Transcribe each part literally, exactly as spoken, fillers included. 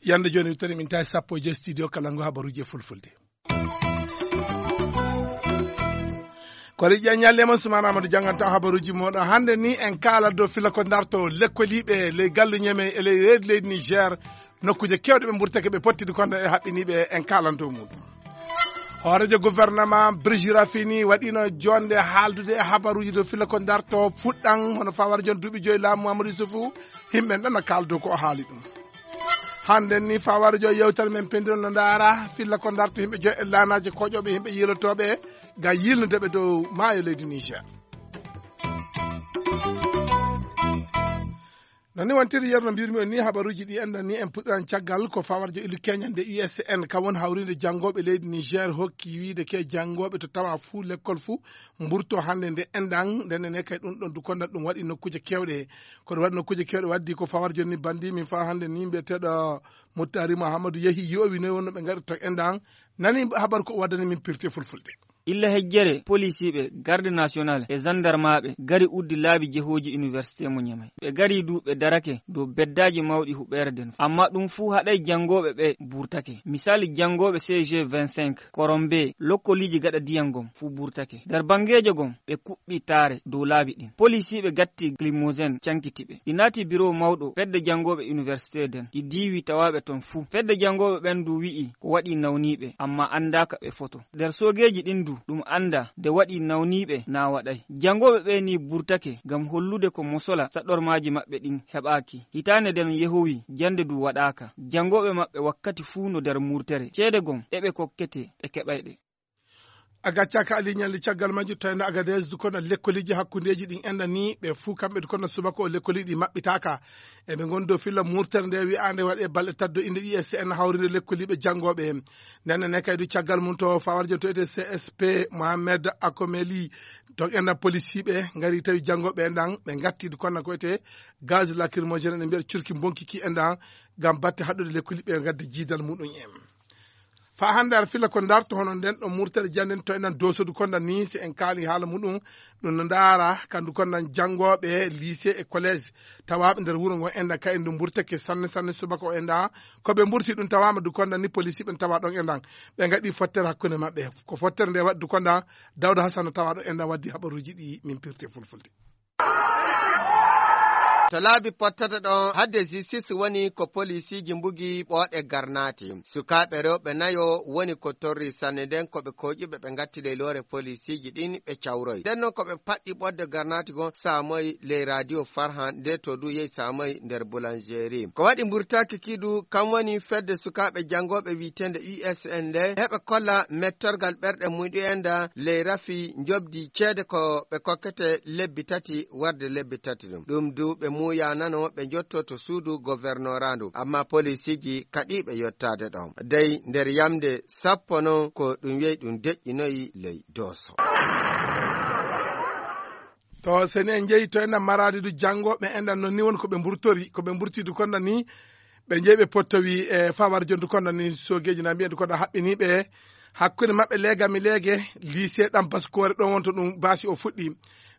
Yande jooni, toni min tawi sappo e joy studio kala ngu habaruuji e fulfulde. Ko Riƴa Ñalle mon Sumaana Amadou jannganta habaruuji mooɗon. Hannde ni en kaalat dow filla ko darto lekkoliiɓe ley gallu Ñeme e ley reedu leydi Niger, nokkuuje keewɗe ɓe mburtake, ɓe pottidi kono e haɓɓiniiɓe, en kaalan dow muɗum. Hooreejo gouvernement Brigitte Raffini waɗiino joonde haaldude e habaruuji dow filla ko darto fuɗɗan, hono fawara joon duuɓi joyi laamu Amadou Yusufu, yimɓe ɗon no kaaldo ko o haali ɗum. Hannde ni fawara joon yewtere men penndiro no ndaara filla ko darto yimɓe joyi e laanaaji koƴooɓe yimɓe yiilotooɓe ngam yiilnude ɓe dow maayo leydi Niger. No ni wontiri yeru no mbirmi on ni, habaruuji ɗi enɗan ni en puɗɗiran caggal ko fawarjo ilu keñande U S N, kam woni hawrinde janngooɓe leydi Niger hokki wiide ke janngooɓe to tawa fuu lekkol fuu mburto hannde nde enɗan, nden ne kay ɗum ɗon du kondan ɗum waɗi nokkuuje keewɗe. Ko ɗum waɗi nokkuuje keewɗe waddi ko fawarjo ni bandi min fa hannde ni mbiyeteeɗo Muttari Muhammadu yehi yowi noy wonno ɓe ngaɗirta enɗan, nani habar ko waddani min pirti fulfulde. Illa hejjere, polisiiɓe, garde national e zandarmaaɓe gari uddi laabi jehooji université mo Ñamay. Ɓe gari du ɓe darake dow beddaaji mawɗi huɓeere nden. Amma ɗum fuu haɗay janngooɓe ɓe burtake. Misali janngooɓe C G vingt-cinq, Korombe, lokkoliiji gaɗa diyan gom fuu burtake. Nder banngeejo gom, ɓe kuɓɓi taare dow laabi ɗin. Polisiiɓe gatti Limousine cankiti ɓe. Ɗi naati biro mawɗo fedde janngooɓe université nden. Ɗi diiwi tawaaɓe ton fuu. Fedde janngooɓe ɓen du wi'i ko waɗi nawniiɓe, amma anndaaka ɓe foto. Nder soogeeji ɗin du, ɗum anndaa nde waɗi nawniiɓe naa waɗay. Janngooɓe ɓe ni burtake ngam hollude ko mosola saɗormaaji maɓɓe ɗin heɓaaki. Hitaande nden yehowi, jannde du waɗaaka. Janngooɓe maɓɓe wakkati fuu no nder murtere. Ceede gom, ɗe ɓe kokkete, ɓe keɓay ɗe. A gaccaaka Ali Ñalli caggal majju tawno Agadez du kono lekkoliiji hakkundeeji ɗin enɗan ni ɓe fuu kamɓe du kono subaka o lekkoliiji ɗi maɓɓitaaka. Eɓe ngon dow filla murtere nde wi'aande waɗe balɗe tati dow innde U S N hawrinde lekkoliiɓe janngooɓe. Nden ne kay du caggal mum to fawarjo to ete C S P Mohamed Akomeli to enɗan polisiiɓe ngari tawi janngooɓe enɗan ɓe ngatti du kono ko ete gaz lacrymogène ɓe mbiya curki bonkiki enɗan ngam batte haɗude lekkoliiɓe ngadde jiidal muɗum en. Fa hannde ar filla ko darto hono nden ɗo murtere janden to enen dosodu konda ni si en kaali haala muɗum ɗum no ndaara kandu konda janngooɓe lycée e collège tawaaɓe nder wuro ngo enɗan kay ndu mburtake sanne sanne subaka o enɗan ko ɓe mburti ɗum tawaama du konda ni polisi ɓen tawa ɗon enɗan ɓe ngaɗi fottere hakkunde maɓɓe ko fottere nde waɗi du konda Dawda Hassan tawa ɗo enɗan waddi habaruuji ɗi min pirte fulfulde. To laabi pottata ɗon hadde justice woni ko polisiiji mbugi ɓooɗe garnaati. Sukaaɓe rewɓe nayo woni ko torri sanne nden ko ɓe koƴuɓe ɓe ngatti ley loore polisiiji ɗin ɓe cawroy. Nden non ko ɓe paɗɗi ɓodde garnaati gon saamoy ley radio Farhan nde to du yehi saamoy nder boulangerie. Ko waɗi mburtaaki kidu kam woni fedde sukaaɓe janngooɓe wi'eteende U S N nde heɓe kolla mettorgal ɓerɗe muɗum enɗan ley rafi njoɓdi ceede ko ɓe kokkete lebbi tati warde lebbi tati ɗum. Ɗum du ɓe muuyanano ɓe njotto to suudu governorandu. Amma polisiiji kaɗiiɓe yottaade ɗon. Dey nder yamnde sappo non ko ɗum yehi ɗum deƴƴinoyi ley Dooso. To seni en njeyi to enɗan maraadi du janngo ɓe enɗan non ni woni ko ɓe mburtori ko ɓe mburti du konda ni ɓe njeyi ɓe pottowi e fawar jondu konda ni sogeeji na mbiyen du konda haɓɓiniiɓe hakkunde maɓɓe leega mi leege lycée ɗam baskoore ɗon wonto ɗum baasi o fuɗɗi.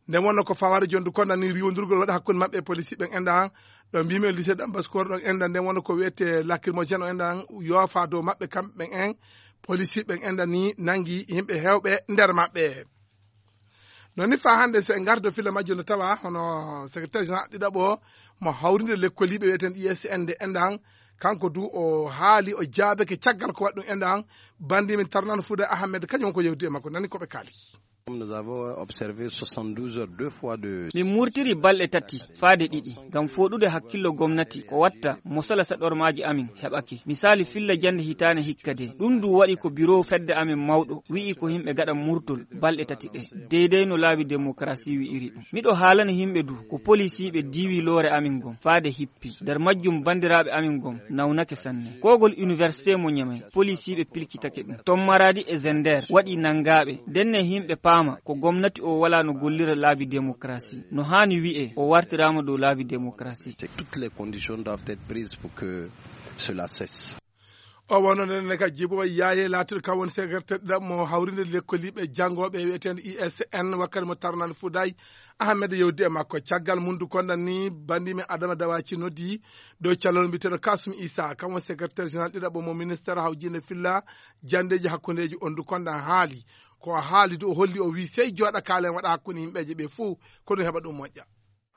Nden wonno ko fawar jondu konda ni riwondirgol waɗa hakkunde maɓɓe e polisi ɓen enɗan ɗo mbimi o lycée ɗam baskoore ɗon enɗan nden wonno ko wiyete lacrymogène o enɗan yoofa dow maɓɓe kamɓe ɓen en polisi ɓen enɗan ni nangi yimɓe hewɓe nder maɓɓe. Non ni faa hannde so en ngardo filla majjo no tawa hono secrétaire général ɗiɗaɓo mo hawrinde lekkoliiɓe wiyeten I S N nde enɗan kanko du o haali o jaabeke caggal ko waɗi ɗum enɗan. Bandi min tarnano Fuuda Ahmed kañum ko yewti e makko nani ko ɓe kaali. Nous avons observé soixante-douze heures deux fois de. Min murtiri balɗe tati faade ɗiɗi ngam fooɗude hakkillo gomnati ko watta mo sala saɗormaaji amin heɓake. Misaali filla jannde hitaane hikka de ɗum du waɗi ko biro fedde amin mawɗo wi'i ko yimɓe gaɗa murtol balɗe tati ɗe deydey no laabi demokarasi wi'iri ɗum. Miɗo haalana yimɓe du ko polisiiɓe diiwi loore amin ngon faade hippi nder majjum banndiraaɓe amin ngon nawnake sanne. Koogol université mo Ñamay polisiiɓe pilkitake ɗum ton maraadi e zender waɗi nanngaaɓe ndenne yimɓe paama ko gomnati o walaa no gollira laabi demokarasi no haani wi'e o wartiraama dow laabi demokarasi. Toutes les conditions doivent être prises pour que cela cesse. O wonno nden ne ka Jibo Yaaye laatiiɗo kam woni secrétaire ɗiɗaɓo mo hawrinde lekkoliiɓe janngooɓe wiyeteende U S N, wakkati mo tarnani Fuday Ahmed yewdi e makko. Caggal mundu konda ni, banndi men Adama Dawaci noddi dow calal mbiyeteeɗo Kasum Isa, kam woni secrétaire général ɗiɗaɓo mo ministère hawjinde filla janndeeji hakkundeeji, on du konda haali. Ko haali du, o holli, o wi sey jooɗa kaalen waɗa hakkunde yimɓeeje ɓe fuu, ko ɗum heɓa ɗum moƴƴa.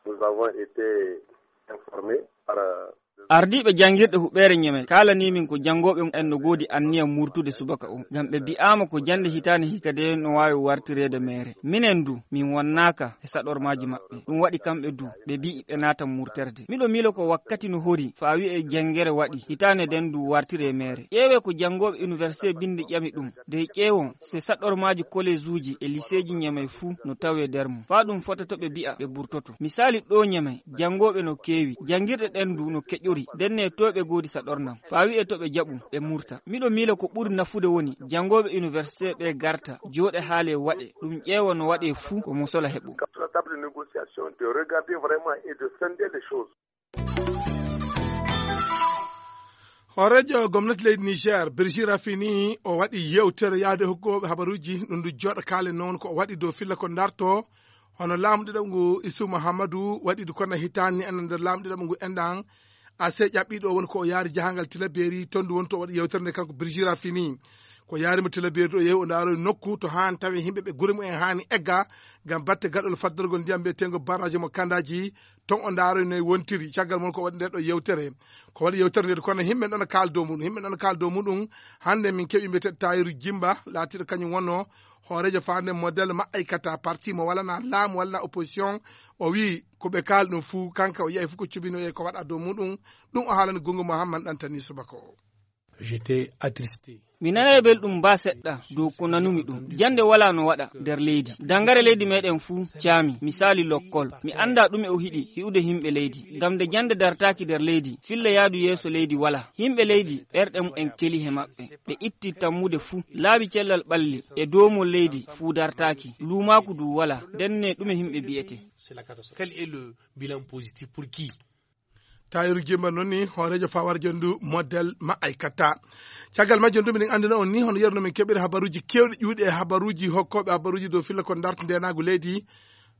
Nous avons été informés par, euh, Ardiiɓe janngirɗe huɓeere Ñeme kaalanii min ko janngooɓe en no goodi anniya murtude subaka o, ngam ɓe bi'aama ko jannde hitaande hikka de no waawi wartireede meere. Minen du, min wonnaaka e saɗormaaji maɓɓe. Ɗum waɗi kamɓe du, ɓe bi'i ɓe naatan murterde. Miɗo miilo ko wakkati no hori, faa wi'e janngere waɗi, hitaande nden du wartiree meere. Ƴeewee ko janngooɓe université binndi ƴami ɗum. Dey ƴeewon, se saɗormaaji kolejuuji e liseeji Ñeme fuu no tawee der mum. Faa ɗum fota to ɓe bi'a ɓe burtoto. Misaali ɗoo Ñeme, janngooɓe no keewi, janngirɗe ɗen du no keƴori, ndenne to ɓe goodi saɗornam. Faa wi'e to ɓe jaɓu, ɓe murta. Miɗo miila ko ɓuri nafude woni, janngooɓe université ɓe garta, jooɗe haale waɗe, ɗum ƴeewa no waɗee fuu ko mosola heɓo. Sur la table de négociation, de regarder vraiment et de scinder les choses. Hooreejo gomnati leydi Niger, Birji Rafini, o waɗi yewtere yaade hokkooɓe habaruuji, ɗum ndu jooɗa kaalen noon ko o waɗi dow filla ko darto, hono laamu ɗiɗaɓo ngu Isu Muhammadu waɗi du kono hitaani en nder laamu ɗiɗaɓo ngu enɗan, ase ƴaɓɓiiɗo woni ko o yaari jahangal Tilaberi, toon du woni to o waɗi yewtere nde kanko Birji Rafini. Ko yaari mo Tilaberi ɗo yehi o ndaaroy nokku to haani tawi yimɓe ɓe gure mumen haani egga ngam batte gaɗol faddorgol ndiyam mbiyetengo barrage mo Kandaaji, toon o ndaaroy no wontiri. Caggal mum ko waɗi nde ɗo yewtere. Ko waɗi yewtere nde kono yimɓe ɗon kaal dow muɗum, yimɓe ɗon kaal dow muɗum. Hannde min keɓi mbiyeteeɗo Tayiru Jimba, laatiiɗo kañum wonno hooreejo faande modèle maɓɓe kata parti mo walana laamu walla opposition. O wi ko ɓe kaal ɗum fuu, kanka o yi'ay fuu ko cubino e ko waɗa dow muɗum. Ɗum o haalani Gungu Muhammad Ɗantani subaka o. J'étais attristé. Mi nanay belɗum baa seɗɗa dow ko nanumi ɗum. Jannde walaa no waɗa nder leydi. Danngare leydi meɗen fuu caami. Misaali lokkol. Mi anndaa ɗume o hiɗi hi'ude yimɓe leydi. Ngam nde jannde dartaaki nder leydi, filla yaadu yeeso leydi walaa. Yimɓe leydi, ɓerɗe mumen keli he maɓɓe. Ɓe itti tammude fuu. Laabi cellal ɓalli e doomol leydi fuu dartaaki. Luumaaku du walaa. Ndenne ɗume yimɓe bi'ete? C'est la catastrophe. Quel est le bilan positif pour qui? Tayiru Jimba noon ni hooreejo fawar jonndu model ma ay katta. Caggal majjum du miɗen anndina on ni hono yeru no min keɓiri habaruuji keewɗi ƴuuɗi e habaruuji hokkooɓe habaruuji dow filla ko darta ndeenaagu leydi.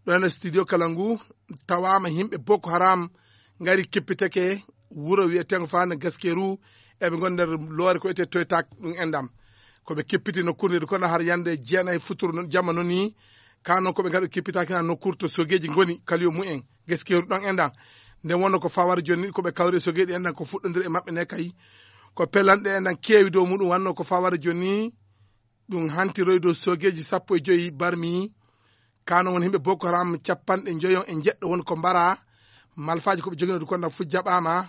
Ɗo ene studio kala ngu tawaama yimɓe Boko Haram ngari kippiteke wuro wiyeteengo faande Gaskeru, eɓe ngoni nder loore ko wiyetee Toytak ɗum enɗam. Ko ɓe kippiti nokkuure nde kono har yande jeenayi futuro noon jamma noon ni. Ka noon ko ɓe ngaɗi kippitaaki na nokkuure to sogeeji ngoni kaliyo mumen. Gaskeru ɗon enɗam. Nden wonno ko fawar jooni ko ɓe kawri e sogeeji enɗam ko fuɗɗondiri e maɓɓe ne kay. Ko pelanɗe enɗam keewi dow muɗum wanno ko fawar jooni. Ɗum hantiroy dow sogeeji sappo e joyi barmi. Ka noon woni yimɓe Boko Haram capanɗe njoyo e njeɗɗo woni ko mbara. Malfaaji ko ɓe jogino du konda fu jaɓaama.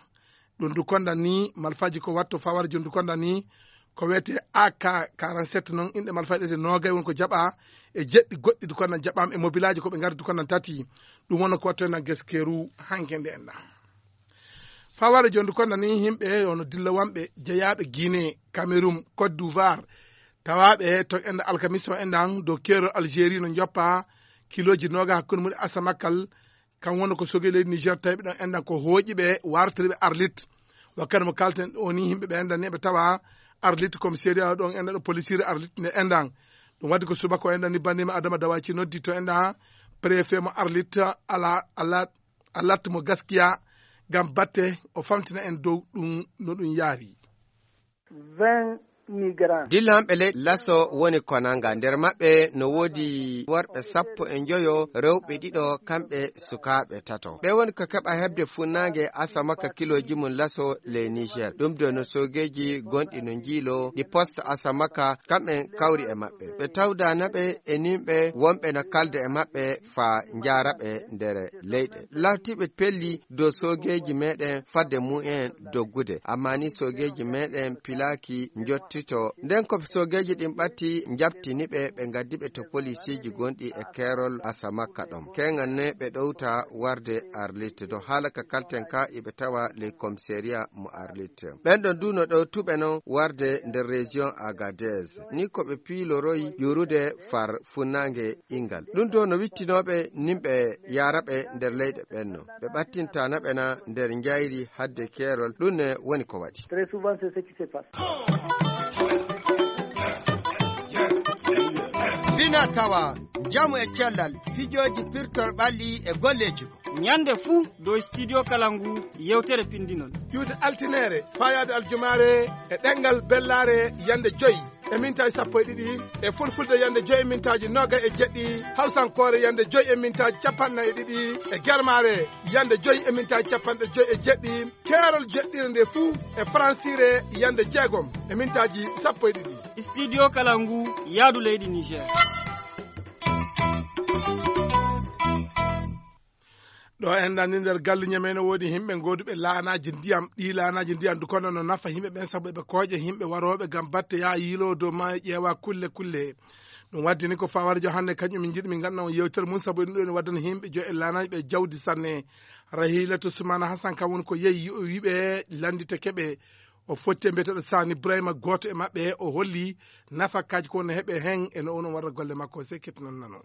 Ɗum du konda ni malfaaji ko watto fawar jooni du konda ni ko wiyetee A K quarante-sept noon inɗe malfaaji ɗe noogay woni ko jaɓa e jeɗɗi goɗɗi du konda jaɓaama e mobilaaji ko ɓe ngardi du konda tati. Ɗum wonno ko watto na Gaskeru hanke nde enɗam. Fawar jooni du konda ni yimɓe ono dillawanɓe jeyaaɓe Guinée, Cameroun, Côte d'Ivoire, tawaaɓe to enɗam alkamis o enɗam dow keerol Algérie no njoppa kilooji nooga hakkunde mum e Asamakkal. Kam wonno ko sogeeji leydi Niger tawi ɓe ɗon enɗam ko hooƴi ɓe wartiri ɓe Arlit. Wakkati mo kalten o ni yimɓe ɓe enɗam ni ɓe tawa Arlit commissariat ɗon enɗam ɗo polisiri Arlit nde enɗam. Ɗum waddi ko subaka o enɗam ni bandima Adama Dawaci noddi to enɗam préfet mo Arlit ala ala alat mo gaskiya ngam batte o famtina en dow ɗum no ɗum yaari. Vingt migrants. Dillanɓe leyɗe laso woni konanga. Nder maɓɓe no woodi worɓe sappo e njoyo, rewɓe ɗiɗo, kamɓe sukaaɓe tato. Ɓe woni ko keɓa heɓde funnaange Asamaka kilooji mum laso ley Niger. Ɗum do no soogeeji gonɗi no njiilo ɗi poste Asamaka, kamɓe kawri e maɓɓe. Ɓe tawdaana ɓe e nimɓe wonɓe no kalda e maɓɓe faa njaara ɓe nder leyɗe. Laatiiɓe pelli dow soogeeji meɗen fadde mumen doggude. Amma ni soogeeji meɗen pilaaki njotti. to. Nden ko soogeeji ɗin ɓatti, njaɓtini ɓe, ɓe ngaddi ɓe to polisiiji gonɗi e keerol Asamakka ɗon. Keŋan ne ɓe ɗowta warde Arlit. Dow haala ka kalten ka, iɓe tawa ley komisariya mo Arlit. Ɓen ɗon du no ɗowtuɓe non warde nder région Agadez. Ni ko ɓe piiloroyi ƴuurude far funnaange ingal. Ɗum to no wittinooɓe nimɓe yaaraɓe nder leyɗe ɓen no. Ɓe ɓattintaana ɓe na nder njayri hadde keerol. Ɗum ne woni ko waɗi. Très souvent, c'est ce qui se passe. Fina tawa, njamu e cellal, fijooji pirtor ɓalli e golleeji. Ñande fuu dow Studio Kalangu, yewtere pindinol. Iwde altineere, faayaade aljumaare, e ɗemngal bellaare, yande joy e mintaaji sappo e ɗiɗi, e fulfulde yande joy e mintaaji noga e jeɗɗi, hawsankoore yande joy e mintaaji capanɗe nayi e ɗiɗi, e germaare yande joy e mintaaji capanɗe joy e jeɗɗi, keerol jeɗɗire nde fuu e faransiire yande jeegom e mintaaji sappo e ɗiɗi. Studio Kalangu, yaadu leydi Niger. Ɗo en nani nder galle Ñamey no woodi himɓe gooduɓe laanaaji ndiyam. Ɗii laanaaji ndiyam du kono no nafa himɓe ɓen, sabu eɓe kooƴa himɓe warooɓe ngam batte yaa yiiloo dow maayo ƴeewa kulle kulle. Ɗum waddi ni ko fawara jo hannde kañum min njiɗi min ngannduɗaa on yewtere mum, sabu ɗum ɗo ne waddana himɓe jo e laanaaji ɓe jawdi sanne. Rahilatu Sumana Hassan kam woni ko yehi yo wiɓe lanndita keɓe. O fotti e mbiyeteeɗo Sani Ibrahima, gooto e maɓɓe, o holli nafakaaji ko no heɓe hen e no onon warra golle makko. Sekket non nano.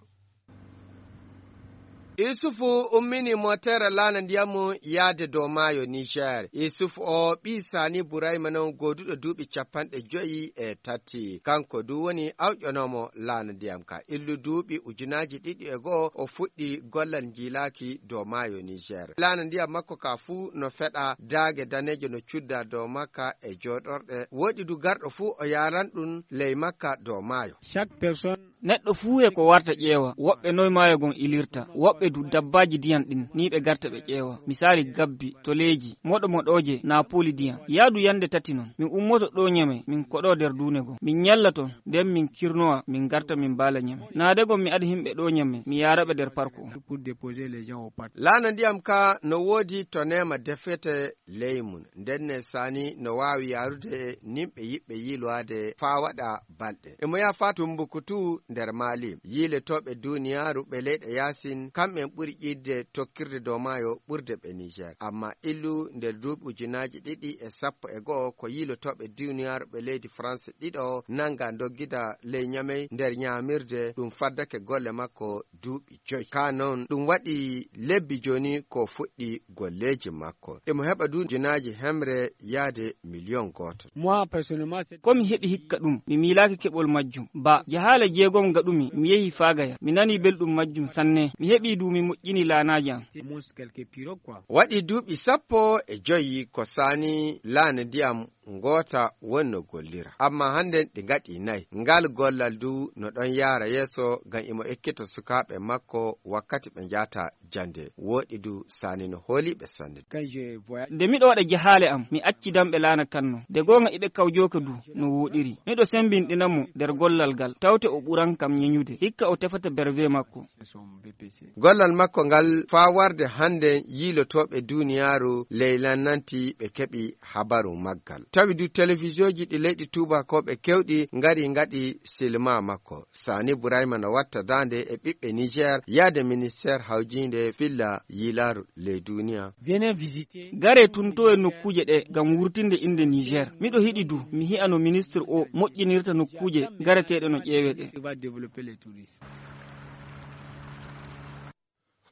Isufu ummini motere laana ndiyam mum yaade dow maayo Niger. Isufu o ɓii Sani Burayma non gooduɗo duuɓi capanɗe joyi e tati. Kanko du woni awƴonoomo laana ndiyam ka. Illu duuɓi ujunaaji ɗiɗi e go'o o fuɗɗi gollal njiilaaki dow maayo Niger. Laana ndiyam makko ka fuu no feɗa daage daneejo no cudda dow makka e jooɗorɗe. Woɗi du garɗo fuu o yaaran ɗum ley makka dow maayo. Chaque personne Neɗɗo fuu e ko warta ƴeewa, woɓɓe noy maayo gon ilirta, woɓɓe du dabbaaji diyan ɗin, ni ɓe garta ɓe ƴeewa. Misaali gabbi, toleeji, moɗo moɗooje, naa pooli diyan. Yaadu yande tati non, min ummoto ɗoo Ñamey, min koɗoo der duune gon. Min ñalla ton, nden min kirnowa, min garta min baala Ñamey. Naade gon mi ada himɓe ɗoo Ñamey, mi yaara ɓe der park on. Pour déposer les gens au parc. Laana ndiyam ka no woodi to neema defete ley mun. Nden ne Sani no waawi yaarude nimɓe yiɓɓe yiilowaade faa waɗa balɗe. Emo yaha faa Tumbukutu nder Maali. Yiilotooɓe duuniyaaru ɓe leyɗe yaasin, kamɓen ɓuri ƴiiɗde tokkirde dow maayo ɓurde ɓe Niger. Amma illu nder duuɓi ujunaaji ɗiɗi e sappo e go'o ko yiilotooɓe duuniyaaru ɓe leydi France ɗiɗo nanga doggida ley Ñamey nder ñaamirde, ɗum faddake golle makko duuɓi joy. Kaa non, ɗum waɗi lebbi jooni ko fuɗɗi golleeji makko. Emo heɓa du ujunaaji hemre yaade miliyon gooto. Moi, personnellement, c'est Ko mi heɓi hikka ɗum, mi miilaaki keɓol majjum. Ba, jahaale jeegom gaɗumi, mi yehi Faagaya. Mi nanii belɗum majjum sanne. Mi heɓii du mi moƴƴini laanaaji am. Waɗi duuɓi sappo e joyi ko Sani laana ndiyam ngoota wonno gollira. Amma hannden ɗi ngaɗi nayi. Ngal gollal du no ɗon yaara yeeso ngam imo ekkita sukaaɓe makko wakkati ɓe njaata jannde. Wooɗi du Sani no hooliiɓe sanne. Nde miɗo waɗa jahaale am, mi acci damɓe laana kan non. De goonga iɓe kawjooka du no wooɗiri. Miɗo sembinɗina mo nder gollal ngal, tawte o ɓuran kam ñeñude. Hikka o tefata berwe makko. Gollal makko ngal faa warde hannden yiilotooɓe duuniyaaru ley lannanti ɓe keɓi habaru maggal. Tawi du telefisiyonji ɗi leyɗi tuubakooɓe kewɗi ngari ngaɗi silma makko. Sani Burayma no watta daande e ɓiɓɓe Niger yaade ministeer hawjiinde filla yiilaaru ley duuniya. Gare tun to e nokkuuje ɗe ngam wurtinde innde Niger. Miɗo hiɗi du mi hi'a no ministre o moƴƴinirta nokkuuje gareteeɗe no ƴeewe ɗe.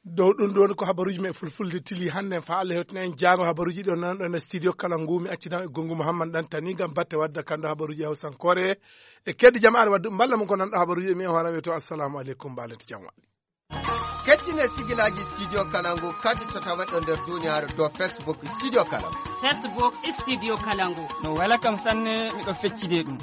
Dow ɗum ɗon ko habaruuji men fulfulde tili hannde. Faa Allah hewtina en jaango habaruuji ɗi on nanɗo e studio kala ngu, mi accita e gongu Muhammad Dantani ngam batte wadda kando habaruuji hawsankoore. E keddi jamaare waddu mballa mum ko nanɗo habaruuji mi e hoore am wi'eto assalamu aleykum, mbaalete jam waɗi. Kettine sigilaaji studio kala ngu kadi to tawaɗo nder duniyaaru dow Facebook studio kala ngu. Facebook studio kala ngu. No wela kam sanne, miɗo feccide ɗum.